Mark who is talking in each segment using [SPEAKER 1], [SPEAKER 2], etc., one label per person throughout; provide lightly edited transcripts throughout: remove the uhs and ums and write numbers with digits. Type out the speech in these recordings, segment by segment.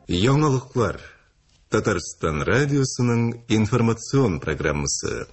[SPEAKER 1] Яңалыклар. Татарстан радиосының информацион программасы.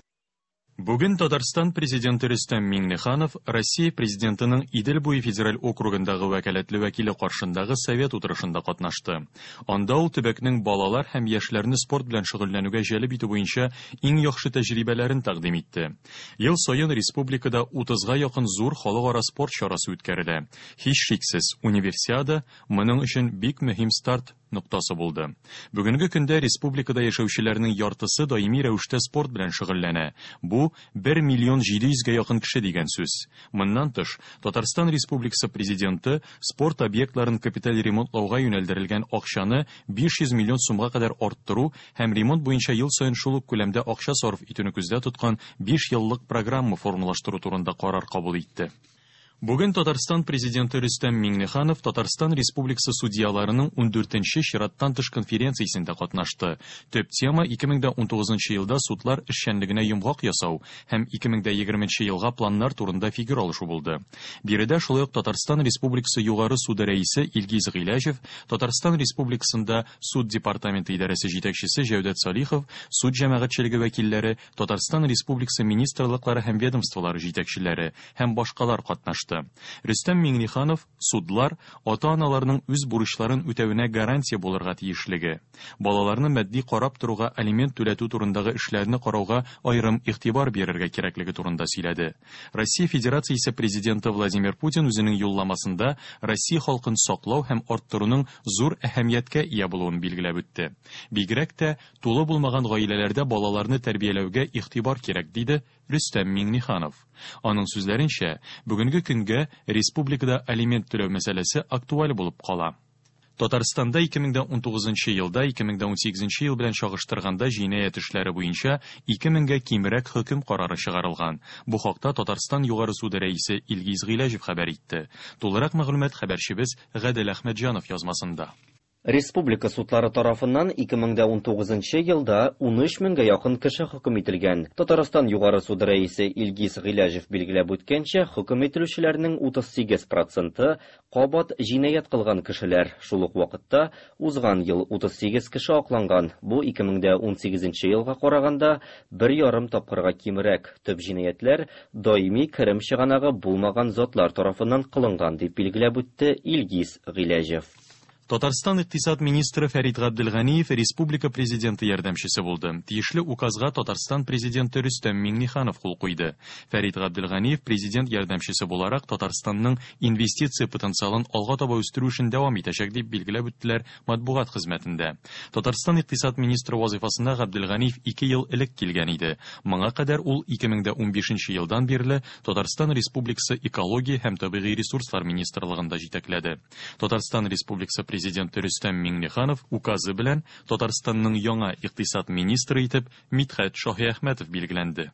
[SPEAKER 2] Бүген Татарстан Президенты Рөстәм Миңнеханов Россия Президентының Идел буе федераль округындагы вәкаләтле вәкиле каршындагы совет утырышында катнашты. Анда ул төбәкнең балалар һәм яшьләрне спорт белән шөгыльләнүгә җәлеп итү буенча иң яхшы тәҗрибәләрен тәкъдим итте. Ел саен республикада 30га якын зур халыкара спорт чарасы үткәрелә. Һичшиксез, Универсиада моның өчен бик мөһим старт ноктасы булды. Бүгенге көндә республикада яшәүчеләрнең яртысы даими рәвештә спорт белән шөгыльләнә. Бу, бер миллион 700 гә якын кеше дигән сүз. Моннан тыш, Татарстан Республикасы Президенты спорт объектларын капиталь ремонтлауга юнәлдерелгән акчаны 500 миллион сумга кадәр арттыру һәм ремонт буенча ел саен шул ук күләмдә акча сарыф итүне күздә тоткан биш еллык программа формалаштыру турында карар кабул итте. Бүген Татарстан Президенты Рөстәм Миңнеханов Татарстан Республикасы судьяларының ундүртенче чираттан тыш конференциясендә катнашты. Төп тема 2019 елда судлар эшчәнлегенә йомгак ясау һәм 2020 елга планнар турында фикер алышу булды. Биредә шулай ук Татарстан Республикасы Югары суды рәисе Илгиз Гыйләҗев, Татарстан Республикасында суд департаменты идарәсе җитәкчесе Җәүдәт Салихов, суд җәмәгатьчелеге вәкилләре, Татарстан Республикасы министрлыклары һәм ведомстволары җитәкчеләре һәм башкалар катнашты. Рөстәм Миңнеханов судлар ата-аналарның үз бурычларын үтәвенә гарантия булырга тиешлеге, балаларны матди карап торуга алимент түләтү турындагы эшләрне карауга аерым игътибар бирергә кирәклеге турында сөйләде. Россия Федерациясе Президенты Владимир Путин үзенең юлламасында Россия халкын саклау һәм арттыруның зур әһәмияткә ия булуын билгеләп үтте. Бигрәк тә Тулы булмаган гаиләләрдә балаларны тәрбияләүгә игътибар кирәк, диде Рөстәм Миңнеханов. Аның сүзләренчә, бүгенге көнгә республикада алимент түләү мәсьәләсе актуаль булып кала. Татарстанда 2019 елда 2018 ел белән чагыштырганда җинаять эшләре буенча 2 меңгә кимрәк хөкем карары чыгарылган. Бу хакта Татарстан Югары суды рәисе Илгиз Гыйләҗев хәбәр итте. Тулырак мәгълүмат хәбәрчебез Гадел Әхмәтҗанов язмасында.
[SPEAKER 3] Республика судлары тарафыннан 2019 нчы елда 13 меңгә якын кеше хөкем ителгән. Татарстан Югары суды рәисе Илгиз Гыйләҗев билгеләп үткәнчә, хөкем ителүчеләрнең 38 проценты, кабат җинаять кылган кешеләр. Шул ук вакытта, узган ел 38 кеше акланган, бу 2018 нче елга караганда бер ярым тапкырга кимрәк. Төп җинаятьләр даими керем чыганагы булмаган затлар тарафыннан кылынган, дип билгеләп үтте Илгиз Гыйләҗев.
[SPEAKER 2] Татарстан икътисад министры Фәрит Габделганиев республика Президенты ярдәмчесе булды. Тиешле указга Татарстан Президенты Рөстәм Миңнеханов кул куйды. Фәрит Габделганиев Президент ярдәмчесе буларак Татарстанның инвестиция потенциалын алга таба үстерү эшен дәвам итәчәк, дип билгеләп үттеләр матбугат хезмәтендә. Татарстан икътисад министры вазыйфасына Габделганиев ике ел элек килгән иде. Моңа кадәр ул 2015 елдан бирле Татарстан Республикасы Экология һәм табигый ресурслар министрлыгында җитәкләде. Татарстан Республикасы Президенты Рөстәм Миңнеханов указы белән Татарстанның яңа икътисад министры итеп Мидхәт Шаһиәхмәтов билгеләнде.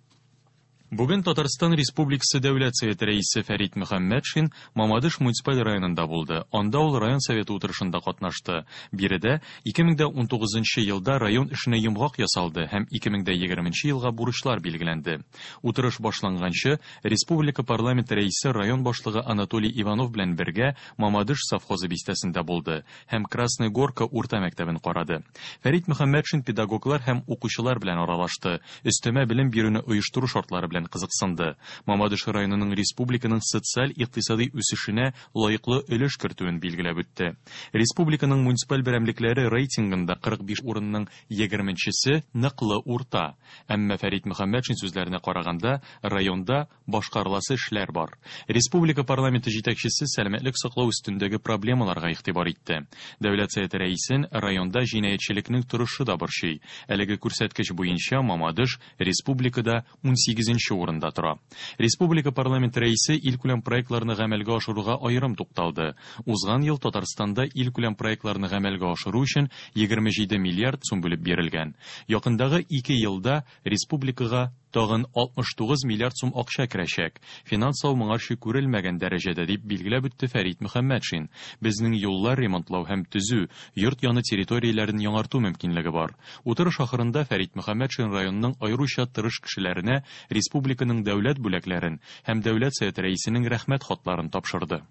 [SPEAKER 2] Бүген Татарстан Республикасы Дәүләт Советы Рәисе Фәрит Мөхәммәтшин Мамадыш муниципаль районында булды. Анда ул район Советы утырышында катнашты. Биредә 2019 елда район эшенә йомгак ясалды һәм 2020 елга бурычлар билгеләнде. Утырыш башланганчы, республика парламенты рәисе район башлыгы Анатолий Иванов белән бергә Мамадыш совхозы бистәсендә булды һәм Красная Горка урта мәктәбен карады. Фәрит Мөхәммәтшин педагоглар һәм укучылар белән аралашты, өстәмә белем бирүне оештыру шартлары белән кызыксынды. Мамадыш районының республиканың социаль-икътисадый үсешенә лаеклы өлеш кертүен билгеләп үтте. Республиканың муниципаль берәмлекләре рейтингында 45 урынның егерменчесе ныклы урта. Әмма Фәрит Мөхәммәтшин сүзләренә караганда, районда башкарыласы эшләр бар. Республика парламенты җитәкчесе сәламәтлек саклау өстендәге проблемаларга игътибар итте. Дәүләт Советы рәисен районда җинаятьчелекнең торышы да борчый. Әлеге күрсәткеч буенча Мамадыш республикада унсигезенче урында тора. Республика парламенты рәисе илкүләм проектларны гамәлгә ашыруга аерым тукталды. Узган ел Татарстанда илкүләм проектларны гамәлгә ашыру өчен 27 миллиард сум бүлеп бирелгән. Якындагы ике елда республикага тагын 69 миллиард сум акча керәчәк. Финанслау моңарчы күрелмәгән дәрәҗәдә, дип билгеләп үтте Фәрит Мөхәммәтшин. Безнең юллар ремонтлау һәм төзү, йорт яны территорияләрен яңарту мөмкинлеге бар. Утырыш ахырында Фәрит Мөхәммәтшин районның аеруча тырыш кешеләренә республиканың дәүләт бүләкләрен һәм Дәүләт Советы Рәисенең Рәхмәт хатларын тапшырды.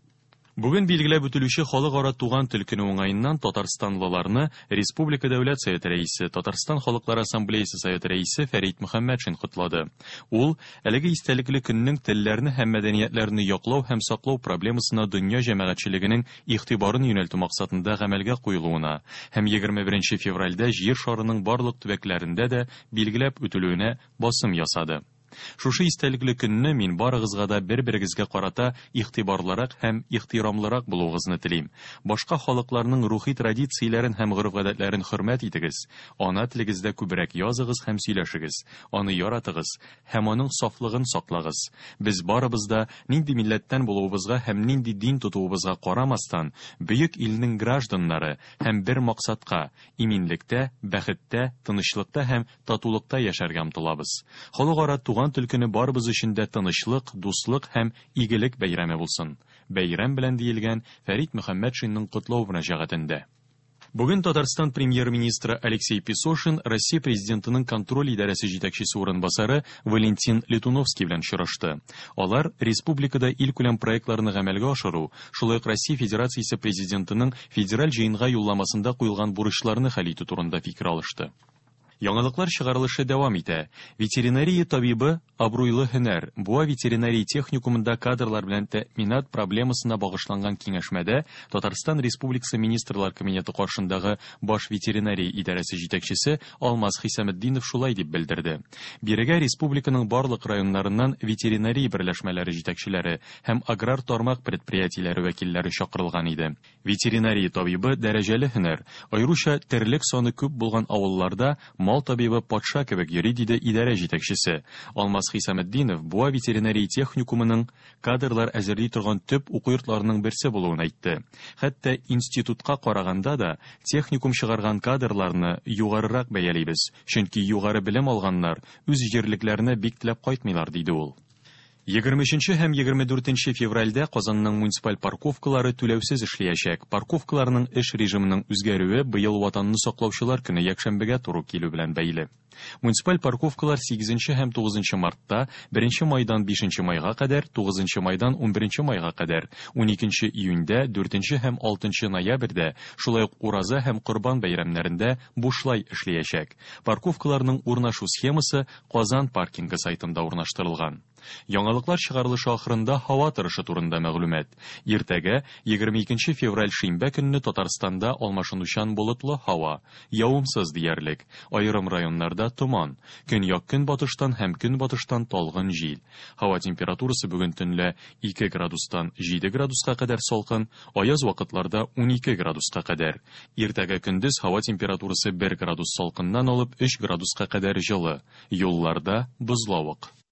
[SPEAKER 2] Бүген билгеләп үтелүче Халыкара туган тел көне уңаеннан татарстанлыларны Республика Дәүләт Советы Рәисе, Татарстан Халыклары Ассамблеясе Советы Рәисе Фәрит Мөхәммәтшин котлады. Ул әлеге истәлекле көннең телләрне һәм мәдәниятләрне яклау һәм саклау проблемасына дөнья җәмәгатьчелегенең игътибарын юнәлтү максатында гамәлгә куелуына һәм 21 февральдә Җир шарының барлык төбәкләрендә дә билгеләп үтелүенә басым ясады. Шушы истәлекле көнне мин барыгызга да бер-берегезгә карата игътибарлырак һәм ихтирамлырак булуыгызны телим. Башка халыкларның рухи традицияләрен һәм гореф-гадәтләрен хөрмәт итегез. Ана телегездә күбрәк языгыз һәм сөйләшегез, аны яратыгыз һәм аның сафлыгын саклагыз. Без барыбыз да, нинди милләттән булуыбызга һәм нинди дин тотуыбызга карамастан, бөек илнең гражданнары һәм бер максатка, иминлектә, бәхеттә, тынычлыкта һәм татулыкта яшәргә омтылабыз. Халыкара туган тел көне барыбыз өчен дә тынычлык, дуслык һәм игелек бәйрәме булсын. Бәйрәм белән, диелгән Фәрит Мөхәммәтшинның котлау мөрәҗәгатендә. Бүген Татарстан Премьер-министры Алексей Песошин Россия Президентының контроль идарәсе җитәкчесе урынбасары Валентин Летуновский белән очрашты. Алар республикада илкүләм проектларны гамәлгә ашыру, шулай ук Россия Федерациясе Президентының Федераль Җыенга юлламасында куелган бурычларны хәл итү турында фикер алышты. Яңалыклар чыгарылышы дәвам итә. Ветеринария табибы абруйлы һөнәр. Буа ветеринария техникумында кадрлар белән тәэминат проблемасына багышланган киңәшмәдә Татарстан Республикасы Министрлар Кабинеты каршындагы Баш ветеринария идарәсе җитәкчесе Алмаз Хисаметдинов шулай дип белдерде. Бирегә республиканың барлык районнарыннан ветеринария берләшмәләре җитәкчеләре һәм аграр тармак предприятиеләре вәкилләре чакырылган иде. Ветеринария табибы дәрәҗәле һөнәр. Аеруча терлек саны күп булган авылларда мал табибы патша кебек йөри, диде идарә җитәкчесе. Алмаз Хисаметдинов Буа ветеринария техникумының кадрлар әзерли торган төп уку йортларының берсе булуын әйтте. Хәтта институтка караганда да техникум чыгарган кадрларны югарырак бәялибез, чөнки югары белем алганнар үз җирлекләренә бик теләп кайтмыйлар, диде ул. 23 һәм 24 февральдә Казанның муниципаль парковкалары түләүсез эшләячәк. Парковкаларның эш режимының үзгәрүе быел Ватанны саклаучылар көне якшәмбегә туры килү белән бәйле. Муниципаль парковкалар 8 һәм 9 мартта, 1 майдан 5 майга кадәр, 9 майдан 11 майга кадәр, 12 июньдә, 4 һәм 6 ноябрьдә, шулай ук Ураза һәм Корбан бәйрәмнәрендә бушлай эшләячәк. Парковкаларның урнашу схемасы Казан паркингы сайтында урнаштырылган. Яңалыклар чыгарылышы ахырында һава торышы турында мәгълүмат. Иртәгә, 22 февраль шимбә көнне Татарстанда алмашынучан болытлы һава, явымсыз диярлек. Аерым районнарда томан, көньяк-көнбатыштан һәм көнбатыштан талгын җил. Һава температурасы бүген төнлә 2 градустан 7 градуска кадәр салкын, аяз вакытларда 12 градуска кадәр. Иртәгә көндез һава температурасы 1 градус салкыннан алып 3 градуска кадәр җылы. Юлларда бозлавык.